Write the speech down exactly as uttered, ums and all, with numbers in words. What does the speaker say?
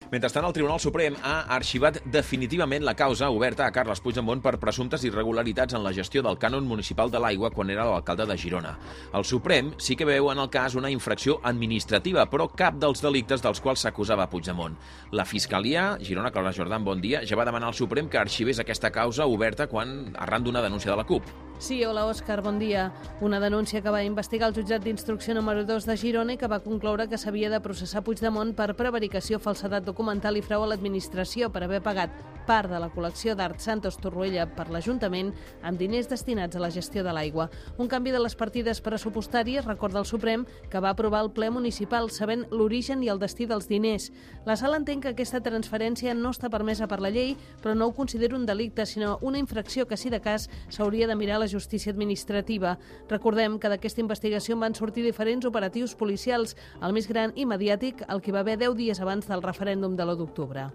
Mentrestant, el Tribunal Suprem ha arxivat definitivament la causa oberta a Carles Puigdemont per presumptes irregularitats en la gestió del cànon municipal de l'aigua quan era l'alcalde de Girona. El Suprem sí que veu en el cas una infracció administrativa, però cap dels delictes dels quals s'acusava Puigdemont. La Fiscalia, Girona, Clara Jordan, bon dia, ja va demanar al Suprem que arxivés aquesta causa oberta quan arran d'una denúncia de la CUP. Sí, hola Òscar, bon dia. Una denúncia que va investigar el jutjat d'instrucció número dos de Girona i que va concloure que s'havia de processar Puigdemont per prevaricació, falsedat documental i frau a l'administració per haver pagat part de la col·lecció d'Art Santos Torroella per l'Ajuntament amb diners destinats a la gestió de l'aigua. Un canvi de les partides pressupostàries, recorda el Suprem, que va aprovar el ple municipal sabent l'origen i el destí dels diners. La sala entén que aquesta transferència no està permesa per la llei, però no ho considera un delicte, sinó una infracció que, si de cas, s'hauria de mirar a la justícia administrativa. Recordem que d'aquesta investigació van sortir diferents operatius policials, el més gran i mediàtic, el que va haver deu dies abans del referèndum de l'u d'octubre.